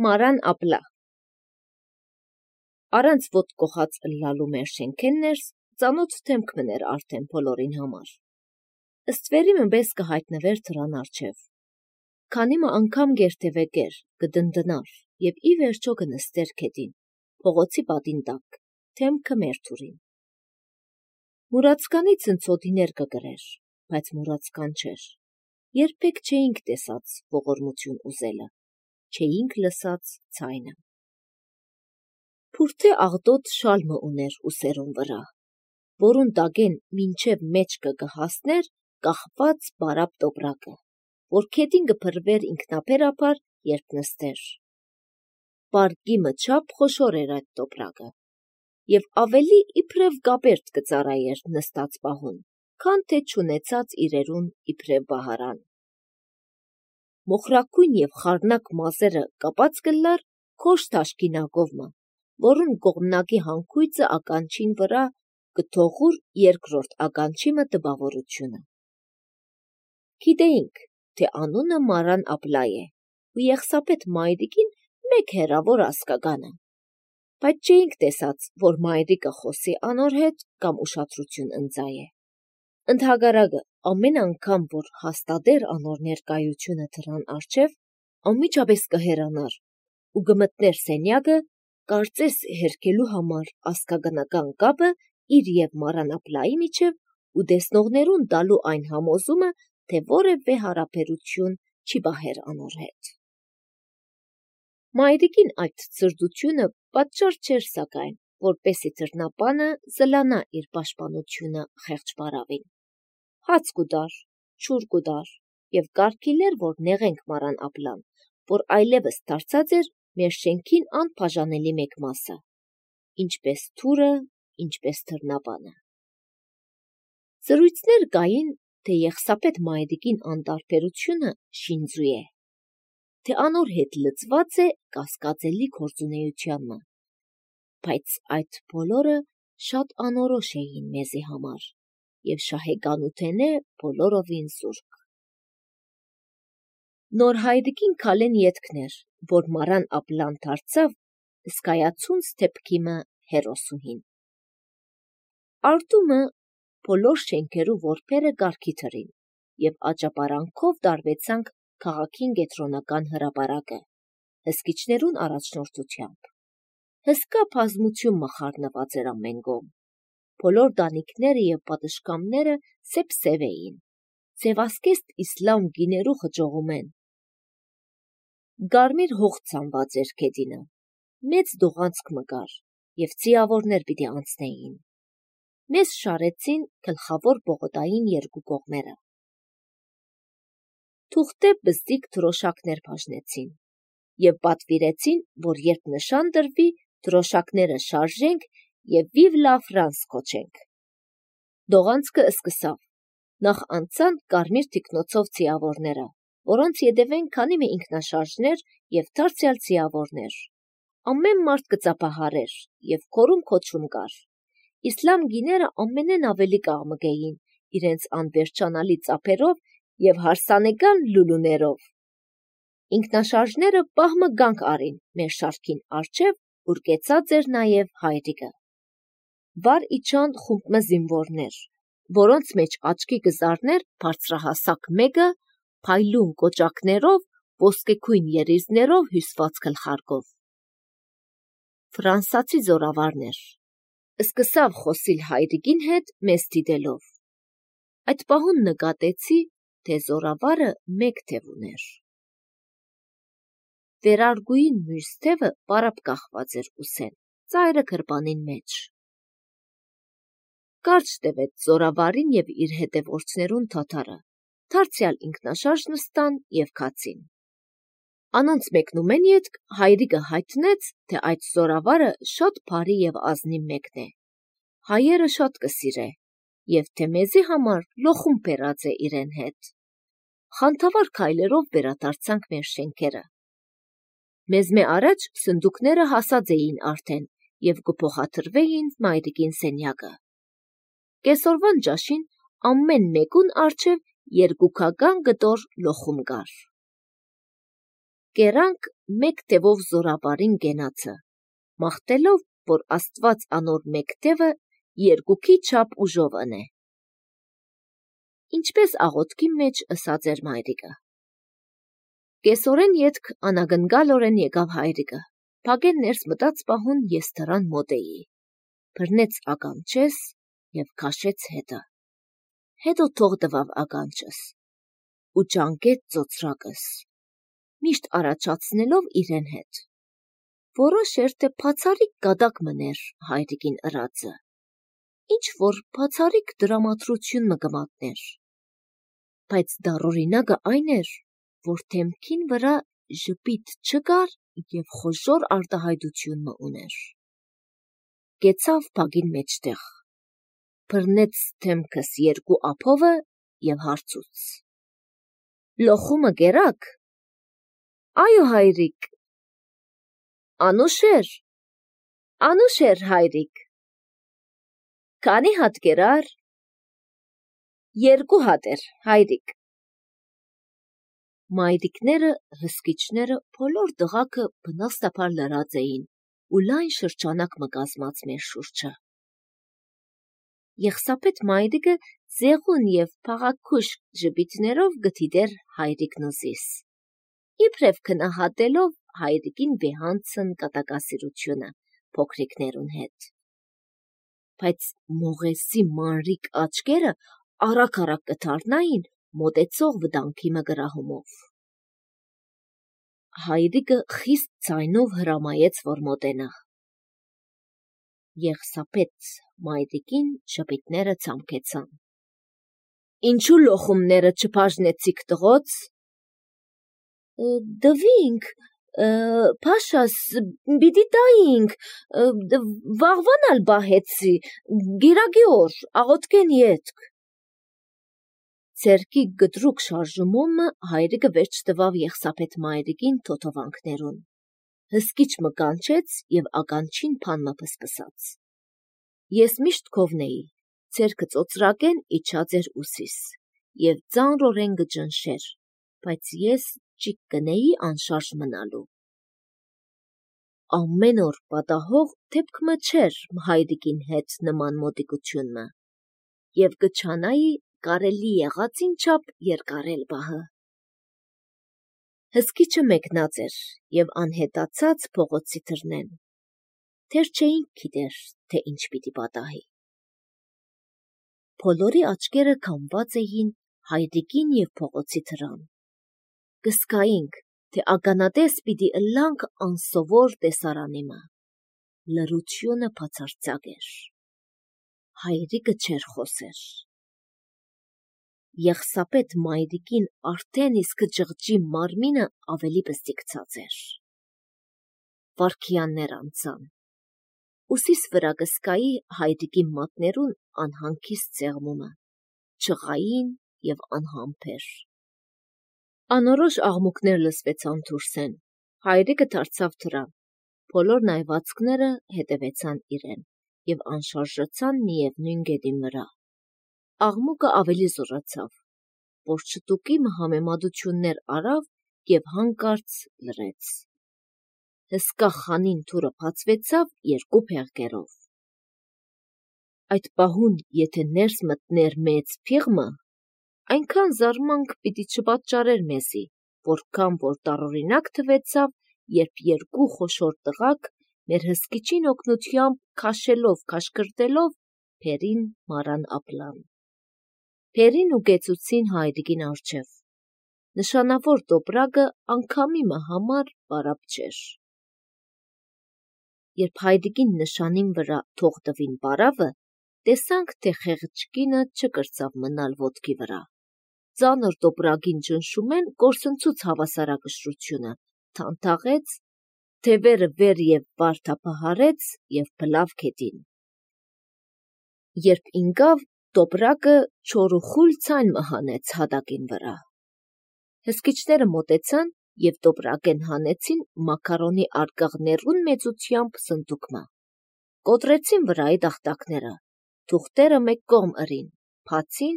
Մարան ապլա։ Առանց ոտ կողած ըլլալու մեր շենքեններս ծանոթ թեմք մներ արդեն բոլորին համար։ Ըստվերի մըբես կհայտնվեր դրան արջև։ Քանի մը անգամ գերտևեկեր, կդնդնար և ի վերջո կնստեր քեդին, փողոցի պատին տակ, թեմքը մեր թուրին։ Մուրացկանի ցնցոտիներ կգրեր, բայց մուրացկան չէր։ Երբեք չէինք տեսած ողորմություն ուզելը, չէինք լսած ցայնը։ Փուրթե աղտոտ շալմը ուներ ուսերուն վրա, որուն տագեն մինչև մեջքը կհասներ կախված բարապ տոպրակը, որ քեդին կփրվեր ինքնաբերաբար, երբ նստեր։ Պարկի մչապ խոշոր էր այդ տոպրակը, և ավելի իբրև գաբերտ կծարայեր նստած պահուն, քան թե չունեցած իրերուն իբրև բահարան։ Մոխրակույն և խառնակ մազերը կապած կլար քոշ թաշկինակովմը, որուն կողմնակի հանքույցը ականջին վրա կթողուր երկրորդ ականջիմը տպավորությունը։ Գիտեինք, թե անունը Մարան ապլա է, ու եղսապետ մայրիկին մեկ հեռավոր ասկագանը, բայց չէինք տեսած, որ մայրիկը խոսի անոր հետ կամ ուշադրություն ընծայե։ Ընդհակառակը, ամեն անգամ, որ հաստատեր անոր ներկայությունը դրան առջև, անմիջապես կհեռանար ու կմտներ սենյակը, կարծես հերքելու համար ասկագանական կապը իր և Մարան ապլայի միջև ու տեսնողներուն տալու այն համոզումը, թե որևէ հարաբերություն չի պահեր անոր հետ։ Մայրիկին այդ ցրտությունը պատճառ չէր սակայն, որպեսի դռնապանը զլանա իր պաշտպանությունը խեղճ պարավին։ Հաց կուտար, ջուր կուտար և կարգիլեր, որ նեղենք Մարան ապլան, որ այլևս դարձած էր մեր շենքին անբաժանելի մեկ մասը, ինչպես թուրը, ինչպես դռնապանը։ Զրույցներ կային, թե եղսապետ մայրիկին անտարբերությունը շինձու է, թե անոր հետ լծված է կասկածելի գործունեությանմը, բայց այդ բոլորը շատ անորոշ էին մեզի համար և շահեկանութենէ բոլորովին զուրկ։ Նոր հայրիկին քալեն ետքն էր, որ Մարան ապլան դարձավ հսկայացունց դեպքիմը հերոսուհին։ Արտումը բոլոր շենքերու որբերը կարգի թրին և աճապարանքով տարվեցանք քաղաքին կենտրոնական հրապարակը, հսկիչներուն առաջնորդությամբ։ Հսկա բազմություն մխարնված էր ամեն կողմ։ Բոլոր տանիքները և պատշգամբները սև էին, ձևասկեստ իսլամ գիներու խճողումեն։ Կարմիր հող ցանված էր քեդինը, մեծ դողանցք մկար և ձիավորներ պիտի անցնեին։ Մեզ շարեցին գլխավոր պողոտային երկու կողմերը։ Թուղթե բզդիկ դրոշակներ բաժնեցին և պատվիրեցին, որ երբ նշան տրվի, դրոշակները շարժենք և «Vive la France» կոչենք։ Դողանցքը սկսավ։ Նախ անցան կարմիր թիկնոցով ձիավորները, որոնց ետևեն քանի մը ինքնաշարժներ և դարձյալ ձիավորներ։ Ամեն մարդ կծափահարեր և քորում կար։ Իսլամ գիները ամենեն ավելի կաղմկեին իրենց անվերջանալի ծափերով և հարսանեկան լուլուներով։ Ինքնաշարժները պահմը գանք արին մեր շարքին առջև, ուր կեցած էր նաև հայրիկը։ Վար իջան խումբ մը զինվորներ, որոնց մեջ աչքի կզարներ բարձրահասակ մեկը փայլուն կոճակներով, ոսկեքույն երիզներով հյուսված գլխարկով։ Ֆրանսացի զորավարն էր։ Սկսավ խոսիլ հայրիկին հետ մեզ դիտելով։ Այդ պահուն նկատեցի, թե զորավարը մեկ թև ուներ։ Վերարգուին մյուս թևը պարապ կախված էր ուսեն, ծայրը գրպանին մեջ։ Կարճ տևեց զորավարին և իր հետևորդներուն դադարը, դարձյալ ինքնաշարժ նստան և քացին։ Անոնց մեկնումեն ետք հայրիկը հայտնեց, թե այդ զորավարը շատ բարի և ազնիվ մեկն է, հայերը շատ կսիրե, և թե մեզի համար լոխում բերած է իրեն հետ։ Խանդավառ քայլերով վերադարձանք մեր շենքերը։ Մեզ մե առաջ սնդուկները հասած էին արդեն և կփոխադրվեին մայրիկին սենյակը։ Կեսօրվան ճաշին ամեն մեկուն առջև երկուքական կտոր լոխում կար։ կերանք մեկ տևով զորաբարին գենացը, մաղթելով, որ Աստված անոր մեկ տևը երկուքի չափ ուժով ընե։ Ինչպես աղոթքի մեջ ըսած էր մայրիկը։ Կեսօրեն ետք անագնգալորեն եկավ հայրիկը, փագեն ներս մտած պահուն ես դրան մոտ էի, բռնեց ականջես և քաշեց հետը, հետո թող տվավ ականջս ու ճանկեց ծոցրակս, միշտ առաջացնելով իրեն հետ, որոշ էր, թե բացառիկ գադակ մներ հայրիկին ըրածը, ինչ որ բացառիկ դրամատրություն մը կմատներ, բայց դառօրինակը այն էր, որ դեմքին վրա ժպիտ չկար և խոժոռ արտահայտություն մը ուներ։ Կեցավ բագին մեջտեղ, բռնեց դեմքս երկու ափովը և հարցուց. «Լոխումը կերաք»։ «Այո, հայրիկ»։ «Անուշ էր, հայրիկ»։ «Քանի հատ կերար»։ «2 հատ էր, հայրիկ»։ Մայրիկները, հսկիչները բոլոր դղաքը բնաստաբար լրած էին ու լայն շրջանակ մը կազմած մեր շուրջը։ Եղսապետ մայրիկը ձեղուն և փաղաքուշ ժպիտներով գդիդեր հայրիկն ուզիս, իբրև քնահատելով հայրիկին վեհանցն կատակասիրությունը փոքրիկներուն հետ։ Բայց մողեսի մանրիկ աչքերը արագ կդառնային մոտեցող վտանգի մը գրահումով։ Հայրիկը խիստ ձայնով հրամայեց, որ մոտենա։ Եղսապետ մայրիկին ժպիտները ցամքեցան։ «Ինչու լոխումները չբաժնեցիք տղոց»։ «Դվինք, փաշաս, պիտի տայինք, վաղվան ալ բահեցի, գիրագի օր, աղոթքեն ետք»։ Ձեռքի գդրուկ շարժումոմը հայրիկը վերջ տվավ եղսապետ մայրիկին թոթովանքներուն, հսկիչ մը կանչեց և ականջին բան մը փսփսաց։ Ես միշտ քովն էի, ձեռքը ծոցրակեն իջած էր ուսիս և ծանրորեն կջնշեր, բայց ես ճիք կնեի անշարժ մնալու։ Ամեն օր պատահող դեպք մը չէր հայրիկին հետ նման մոտիկություն մը, և կչանայի կարելի եղածին չափ երկարել բահը։ Հսկիչը մեկնած էր և անհետացած փողոցի դռնեն, դեռ չէինք գիտեր, թե ինչ պիտի պատահի։ Բոլորի աչքերը քամված էին հայրիկին և փողոցի դռան։ Կզգայինք, թե ականատես պիտի ըլլանք անսովոր տեսարանի մը։ Լռությունը բացարձակ էր։ Հայրիկը չէր խոսեր։ Եղսապետ մայրիկին արդեն իսկ ջղջի մարմինը ավելի բստիկցած էր։ Վայրկյաններ անցան։ Ուսիս վրա կզգայի հայրիկի մատներուն անհանգիստ սեղմումը, ջղային և անհամբեր։ Անորոշ աղմուկներ լսվեցան դուրսեն, հայրիկը դարձավ դռան, բոլոր նայվածքները հետևեցան իրեն և անշարժացան միևնույն գետին վրա։ Աղմուկը ավելի զոռացավ, որ շտուկի մը համեմատություններ արավ և հանկարծ լռեց։ Հսկա խանին դուռը բացվեցավ 2 փեղկերով։ Այդ պահուն եթե ներս մտներ մեծ փիղմը, այնքան զարմանք պիտի չպատճառեր մեզի, որքան որ տարօրինակ թվեցավ, երբ 2 խոշոր տղաք մեր հսկիչին օգնությամբ քաշելով քաշքրտելով փերին մարան ափլան։ Փերին ուղեկցուցին հայրիկին առջև։ Նշանավոր տոպրակը անգամիմը համար պարապ չէր։ Երբ հայրիկին նշանին վրա թող տվին պարավը, տեսանք, թե խեղճ կինը չկրծավ մնալ ոտքի վրա։ Ծանր տոպրակին ճնշումեն կորսնցուց հավասարակշռությունը, թանթաղեց, թևերը վեր և վար թափահարեց և բլավ գետին։ Երբ ինկավ, տոպրակը չորուխուլ ցայն մը հանեց հատակին վրա։ Հսկիչները մոտեցան և տոպրակեն հանեցին մակարոնի արկղներուն մեծությամբ սնդուկ մը։ Կոտրեցին վրայի տախտակները, թուղթերը մեկ կողմ ըրին, բացին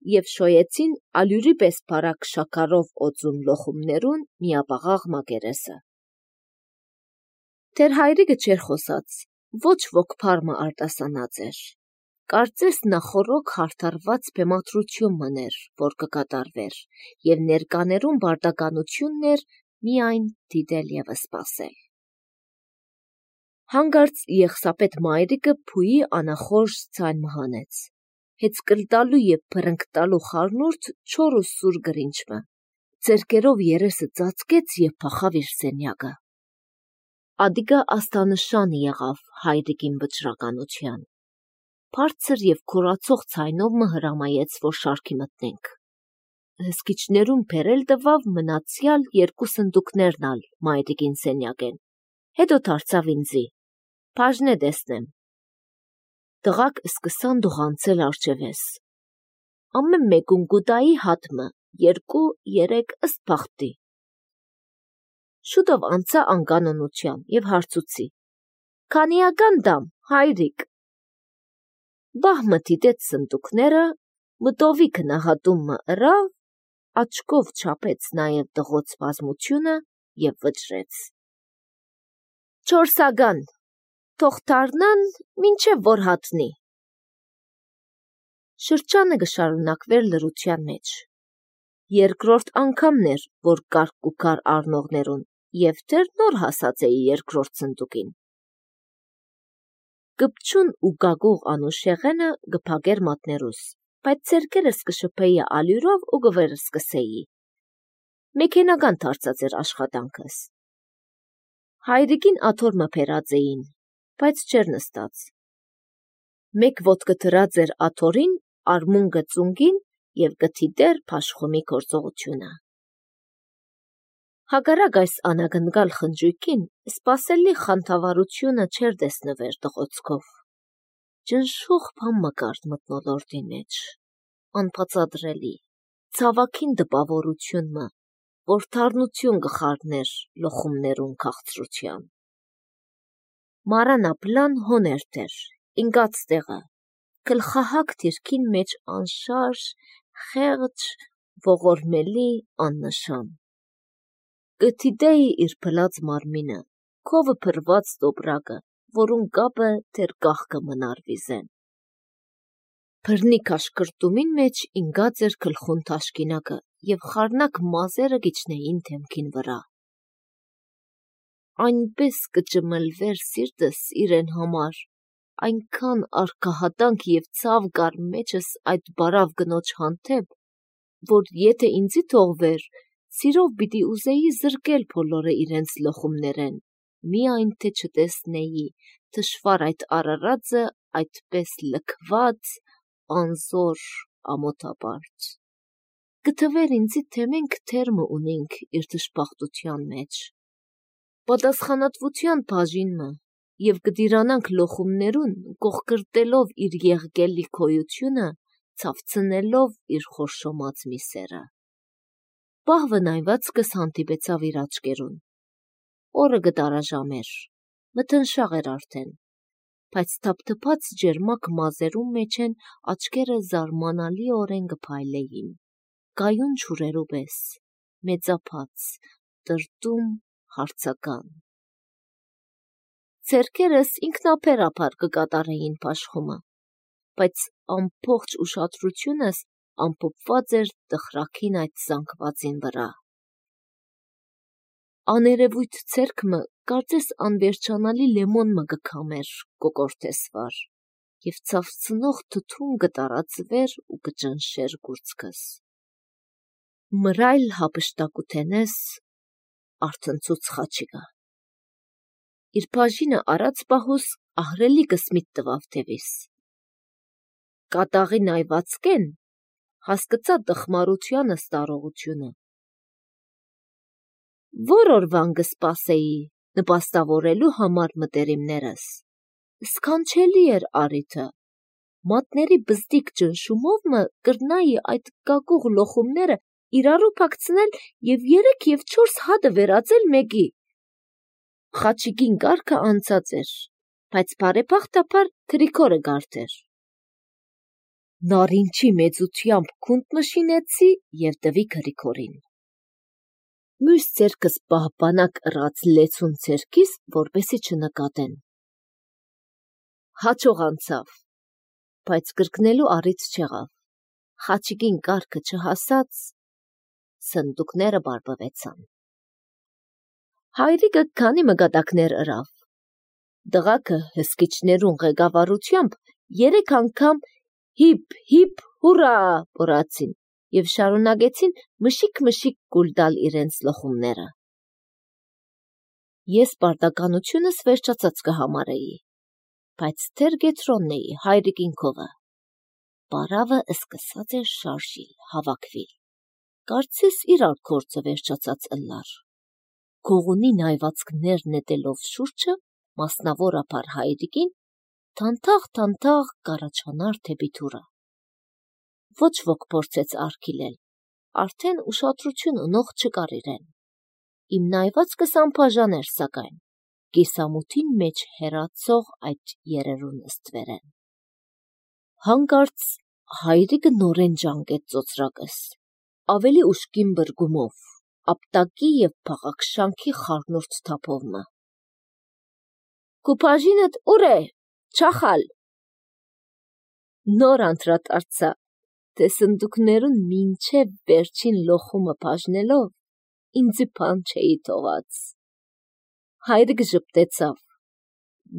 և շոյեցին ալյուրի պես բարակ շաքարով օծուն լոխումներուն միապաղաղ մակերեսը։ Դեր հայրիկը չեր խոսած, ոչ ոք փարմը արտասանած էր։ Կարծես նախորոք հարդարված բեմադրություն մներ, որ կկատարվեր, և ներկաներուն բարդականությունն էր միայն դիտել և սպասել։ Հանգարց Եղսապետ մայրիկը փուի անախորժ ձայն մհանեց, հեծկլտալու և բրնկտալու խառնուրդ չոր ու սուր գրինչմը, ձեռքերով երեսը ծածկեց և փախավ իր սենյակը։ Ադիգա աստանշան եղավ հայրիկին վճռականության։ Բարձր և քորացող ձայնով մը հրամայեց, որ շարքի մտնենք։ Հսկիչներուն բերել տվավ մնացյալ երկու սնդուկներն ալ մայրիկին սենյակեն, հետո դարձավ ինձի. «Բաժնե տեսնեմ»։ Տղաք սկսան դողանցել արջևես։ Ամեն մեկուն գուտայի հատմը, 2-3 ըստ բախտի։ Շուտով անցա անկանոնության և հարցուցի. «Քանիական դամ, հայրիկ»։ Բահմը դիտեց սնդուկները, մտովի քնահատումը ըրավ, աչքով չափեց նաև տղոց բազմությունը և վճռեց. «4 թող դառնան, մինչև որ հատնի»։ Շրջանը կշարունակվեր լռության մեջ։ Երկրորդ անգամն էր, որ կարգ ու քար առնողներուն, և դեռ նոր հասած էի երկրորդ սնդուկին։ Կպչուն ու գագուղ անուշեղենը կփակեր մատներուս, բայց ձեռքերս կշփեի ալյուրով ու կվերսկսեի։ Մեքենական դարձած էր աշխատանքս։ Հայրիկին աթոռ բերած էին, բայց չէր նստած։ Մեկ ոտքը դրած էր աթոռին, արմունկը ծունկին և կթիդեր փաշխումի գործողությունը։ Հակառակ այս անագնկալ խնջույքին, սպասելի խանդավառությունը չէր տեսնվեր տղոցքով։ Ճնշող բան մկար մթնոլորտի մեջ, անբացատրելի, ցավագին տպավորություն մը, որ դառնություն կխառներ լոխումներուն քաղցրության։ Մարանապլան հոն էր դեր, ինկած տեղը, գլխահակ դիրքին մեջ անշարժ, խեղճ, ողորմելի, աննշան։ Կթիդեի իր փլած մարմինը, քովը փրված տոպրակը, որուն կապը դեր կաղկը մնար վիզեն։ Բռնի քաշկրտումին մեջ ինգած էր գլխուն թաշկինակը և խառնակ մազերը գիչնեին դեմքին վրա։ Այնպես կճմլվեր սիրտս իրեն համար, այնքան արգահատանք և ցավ կար մեջս այդ բարավ կնոջ հանդեպ, որ եթե ինձի թողվեր, սիրով պիտի ուզեի զրկել բոլորը իրենց լոխումներեն, միայն թե չտեսնեի թշվառ այդ արարածը այդպես լքված, անզոր, ամոթապարտ։ Կթվեր ինձի, թե մենք թերմը ունենք իր դժբախտության մեջ։ Պատասխանատվության բաժինը և կդիրանանք լոխումներուն, կողկրտելով իր եղգելի քոյությունը, ցավցնելով իր խորշոմած միսերը։ Պահվը նայվածքս հանդիպեցավ իր աչկերուն։ Օրը կտարաժամեր, մթնշաղ էր արդեն, բայց թափթփած ջերմակ մազերուն մեջեն աչկերը զարմանալիորեն կփայլեին, կայուն ջուրերու պես, մեծափած, տրտում, հարցական։ Ձեռքերս ինքնաբերաբար կկատարեին փաշխումը, բայց ամբողջ ուշադրությունս ամփոփված էր տխրակին այդ զանգվածին վրա։ Աներևույթ ձեռքմը կարծես անվերջանալի լեմոն մը կքամեր կոկորտես վար, և ցավցնող թթուն կտարածվեր ու կճնշեր գուրծքս։ Մռայլ հափշտակութենես արթնցուց խաչիկը։ Իր բաժինը արած պահուս ահռելի կսմիթ տվավ դևիս։ Կատաղի նայվածքեն հասկացա տխմարությանս տարողությունը։ Որ օրվան կսպասեի նպաստավորելու համար մտերիմներս։ Սքանչելի էր առիթը։ Մատների բզդիկ ճնշումով մը կրնայի այդ կակուղ լոխումները իրարու փակցնել և 3 և 4 հատը վերածել մեկի։ Խաչիկին կարգը անցած էր, բայց բարեբախտաբար Գրիգորը գարդ էր։ նարինչի մեծությամբ քունդ նշինեցի և տվի Գրիգորին։ Մյուս ձեռքս պահպանակ ըռած լեցուն ձեռքիս, որպեսզի չնկատեն։ Հաճող անցավ, բայց կրկնելու առիթ չեղավ։ Խաչիկին կառքը չհասած, սնդուկները բարբվեցան։ Հայրիկը քանի մգադակներ ըրավ։ Դղակը հսկիչներուն ղեկավարությամբ 3 անգամ հիփ հուրա բորացին և շարունակեցին մշիկ կուլ տալ իրենց լխումները։ Ես պարտականությունս վերջացած կհամարեի, բայց դեռ գետրոնն էի հայրիկին քովը։ Պարավը սկսած էր շարժիլ, հավաքվիլ։ Կարծես իրար գործը վերջացած ըլլար։ Գողունի նայվածքներ նետելով շուրջը, մասնավորապես հայրիկին, թանթաղ կառաջանար դեպի դուռը։ Ոչ ոք փորձեց արգիլել, արդեն ուշադրություն ունող չկար իրեն։ Իմ նայվածքս անբաժան էր, սակայն կիսամութին մեջ հեռացող այդ երերուն ստվերեն։ Հանկարծ հայրիկը նորեն ջանկեց ծոծրակս, ավելի ուժգին բրգումով, ապտակի և փաղաքշանքի խառնուրդ թափովմը։ «Քու բաժինդ ուր է, չախալ»։ Նոր անդրադարձա, թե սնդուկներուն մինչև վերջին լոխումը բաժնելով, ինձի բան չէի թողած։ Հայրիկը ժպտեցավ,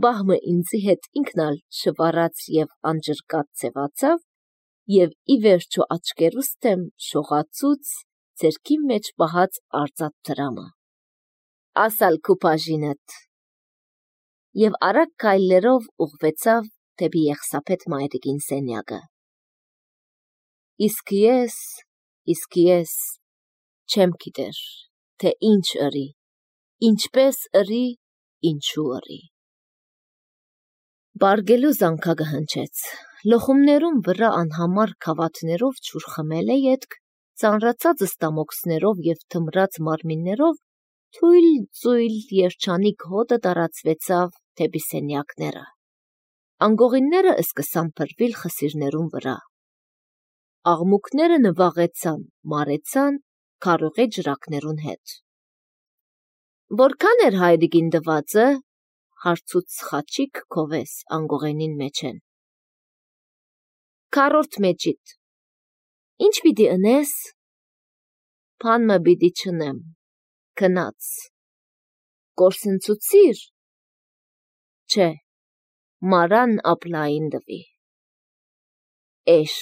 բահմը ինձի հետ ինքն ալ շվարած և անջրկած ձևացավ և ի վերջո աչքերուս դեմ շողացուց ձեռքի մեջ պահած արծաթ դրամը։ «Ասալ քու բաժինդ»։ Եվ արագ քայլերով ուղղվեցավ դեպի Եղսափետ մայրիկին սենյակը։ Իսկ ես չեմ գիտեր, թե ինչ ըրի, ինչպես ըրի, ինչու ըրի։ Բարգելու զանգակը հնչեց, լոխումներուն վրա անհամար քավաթներով ջուր խմելե ետք, ծանրացած ստամոքսներով և թմրած մարմիններով թույլ երջանիկ հոտը տարածվեցավ դեպի սենյակները։ Անգողինները սկսան փրվել խսիրներուն վրա։ Աղմուկները նվաղեցան, մարեցան քարողե ջրակներուն հետ։ «Որքան էր հայրիկին տվածը»։ Հարցուց Խաչիկ քովես անգողենին մեջեն։ «Քառորդ մեջիդ»։ «Ինչ պիտի ընես»։ «Բան մը պիտի չնեմ, գնաց»։ «Կորսնցուցի՞ր»։ «Չէ, մարան ապլային տվի»։ «Էշ»։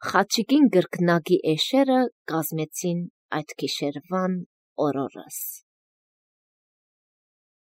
Խաչիկին կրկնակի էշերը կազմեցին այդ գիշերվան օրորս։